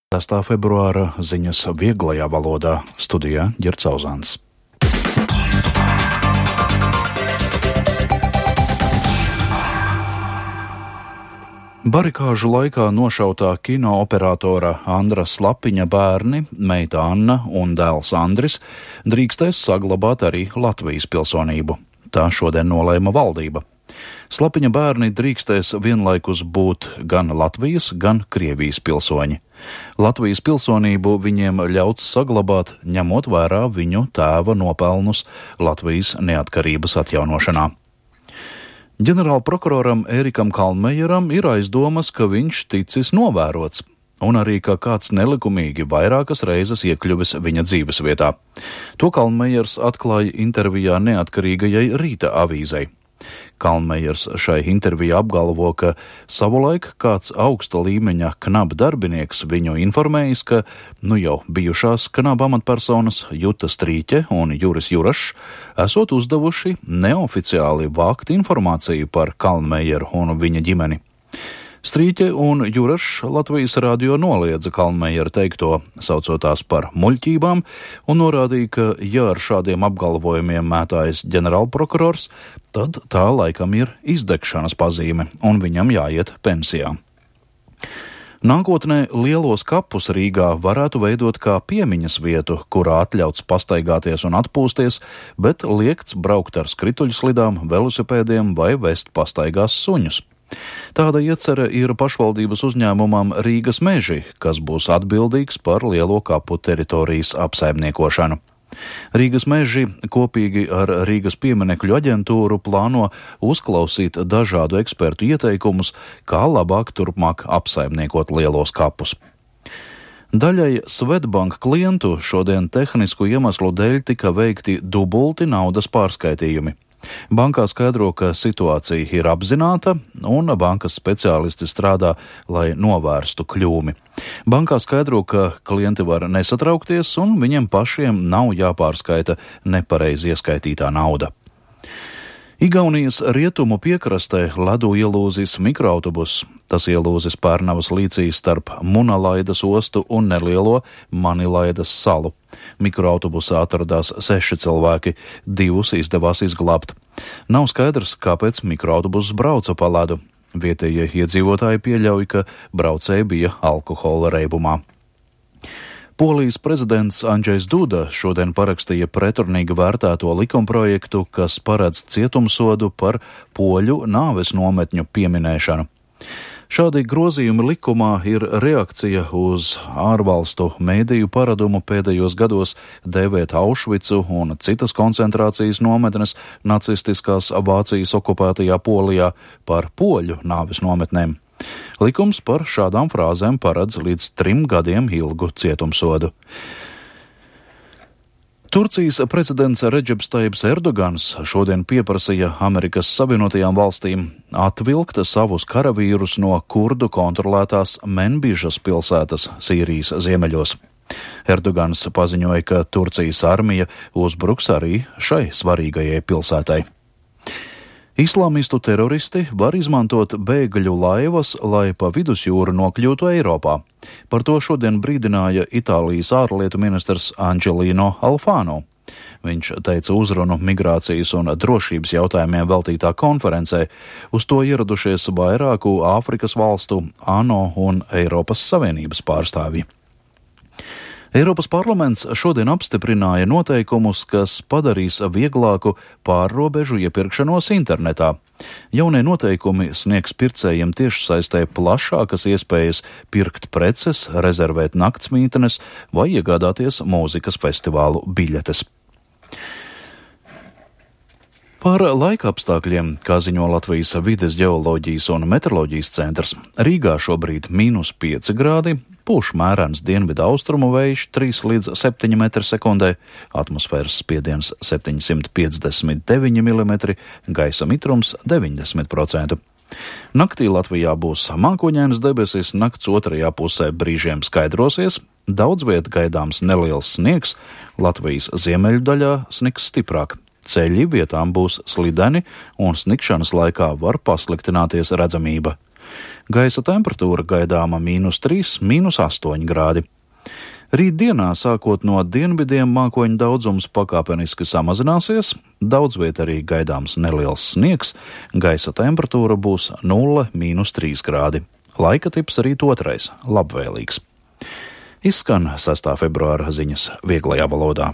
6. februāra ziņas vieglajā valodā, studijā Ģerts Auzāns. Barikāžu laikā nošautā kinooperatora Andra Slapiņa bērni, meita Anna un dēls Andris drīkstēs saglabāt arī Latvijas pilsonību. Tā šodien nolēma valdība. Slapiņa bērni drīkstēs vienlaikus būt gan Latvijas, gan Krievijas pilsoņi. Latvijas pilsonību viņiem ļauts saglabāt, ņemot vērā viņu tēva nopelnus Latvijas neatkarības atjaunošanā. Ģenerālprokuroram Ērikam Kalnmejeram ir aizdomas, ka viņš ticis novērots, un arī, ka kāds nelikumīgi vairākas reizes iekļuvis viņa dzīvesvietā. To Kalnmejers atklāja intervijā neatkarīgajai Rīta avīzei. Kalnmejers šai intervijā apgalvo, ka savulaik kāds augsta līmeņa KNAB darbinieks viņu informējis, ka jau bijušās KNAB amatpersonas Juta Strīķe un Juris Jurašs esot uzdevuši neoficiāli vākt informāciju par Kalnmejeru un viņa ģimeni. Strīķe un Jurašs Latvijas radio noliedza Kalnmejera teikto, saucot tās par muļķībām, un norādīja, ka, ja ar šādiem apgalvojumiem mētājas ģenerālprokurors, tad tā laikam ir izdegšanas pazīme, un viņam jāiet pensijā. Nākotnē lielos kapus Rīgā varētu veidot kā piemiņas vietu, kurā atļauts pastaigāties un atpūsties, bet liekts braukt ar skrituļslidām, velosipēdiem vai vest pastaigās suņus. Tāda iecerē ir pašvaldības uzņēmumam Rīgas meži, kas būs atbildīgs par lielo kapu teritorijas apsaimniekošanu. Rīgas meži kopīgi ar Rīgas pieminekļu aģentūru plāno uzklausīt dažādu ekspertu ieteikumus, kā labāk turpmāk apsaimniekot lielos kapus. Daļai Swedbank klientu šodien tehnisku iemeslu dēļ tika veikti dubulti naudas pārskaitījumi. Bankā skaidro, ka situācija ir apzināta un bankas speciālisti strādā, lai novērstu kļūmi. Bankā skaidro, ka klienti var nesatraukties un viņiem pašiem nav jāpārskaita nepareizi ieskaitītā nauda. Igaunijas rietumu piekrastē ledu ielūzis mikroautobus. Tas ielūzis Pērnavas līcī starp Munalaidas ostu un nelielo Manilaidas salu. Mikroautobusā atradās 6 cilvēki, 2 izdevās izglābt. Nav skaidrs, kāpēc mikroautobus brauca pa ledu. Vietējie iedzīvotāji pieļauj, ka braucēji bija alkohola reibumā. Polijas prezidents Andžejs Duda šodien parakstīja pretrunīgi vērtēto likumprojektu, kas paredz cietumsodu par poļu nāves nometņu pieminēšanu. Šādi grozījumi likumā ir reakcija uz ārvalstu mēdīju paradumu pēdējos gados dēvēt Aušvicu un citas koncentrācijas nometnes nacistiskās Vācijas okupētajā Polijā par poļu nāves nometnēm. Likums par šādām frāzēm paredz līdz 3 gadiem ilgu cietumsodu. Turcijas prezidents Redžeps Tajibs Erdogans šodien pieprasīja Amerikas Savienotajām valstīm atvilkt savus karavīrus no kurdu kontrolētās Menbižas pilsētas Sīrijas ziemeļos. Erdogans paziņoja, ka Turcijas armija uzbruks arī šai svarīgajai pilsētai. Islāmistu teroristi var izmantot bēgļu laivas, lai pa vidusjūru nokļūtu Eiropā. Par to šodien brīdināja Itālijas ārlietu ministrs Angelino Alfano. Viņš teica uzrunu migrācijas un drošības jautājumiem veltītā konferencē. Uz to ieradušies vairāku Āfrikas valstu, ANO un Eiropas Savienības pārstāvji. Eiropas parlaments šodien apstiprināja noteikumus, kas padarīs vieglāku pārrobežu iepirkšanos internetā. Jaunie noteikumi sniegs pircējiem tiešsaistē plašākas iespējas pirkt preces, rezervēt naktsmītnes vai iegādāties mūzikas festivālu biļetes. Par laikapstākļiem, kā ziņo Latvijas vides ģeoloģijas un meteoroloģijas centrs, Rīgā šobrīd -5 grādi, pūš mērens dienvidu austrumu vējš 3 līdz 7 metri sekundē, atmosfēras spiediens 759 mm, gaisa mitrums 90%. Naktī Latvijā būs mākoņainas debesis, nakts otrajā pusē brīžiem skaidrosies, daudz viet gaidāms neliels sniegs, Latvijas ziemeļu daļā sniks stiprāk. Ceļi vietām būs slideni un snikšanas laikā var pasliktināties redzamība. Gaisa temperatūra gaidāma -3, -8 grādi. Rītdienā, sākot no dienvidiem, mākoņu daudzums pakāpeniski samazināsies, daudz viet arī gaidāms neliels sniegs, gaisa temperatūra būs 0–3 grādi. Laika tips rīt otrais – labvēlīgs. Izskan 6. februāra ziņas vieglajā valodā.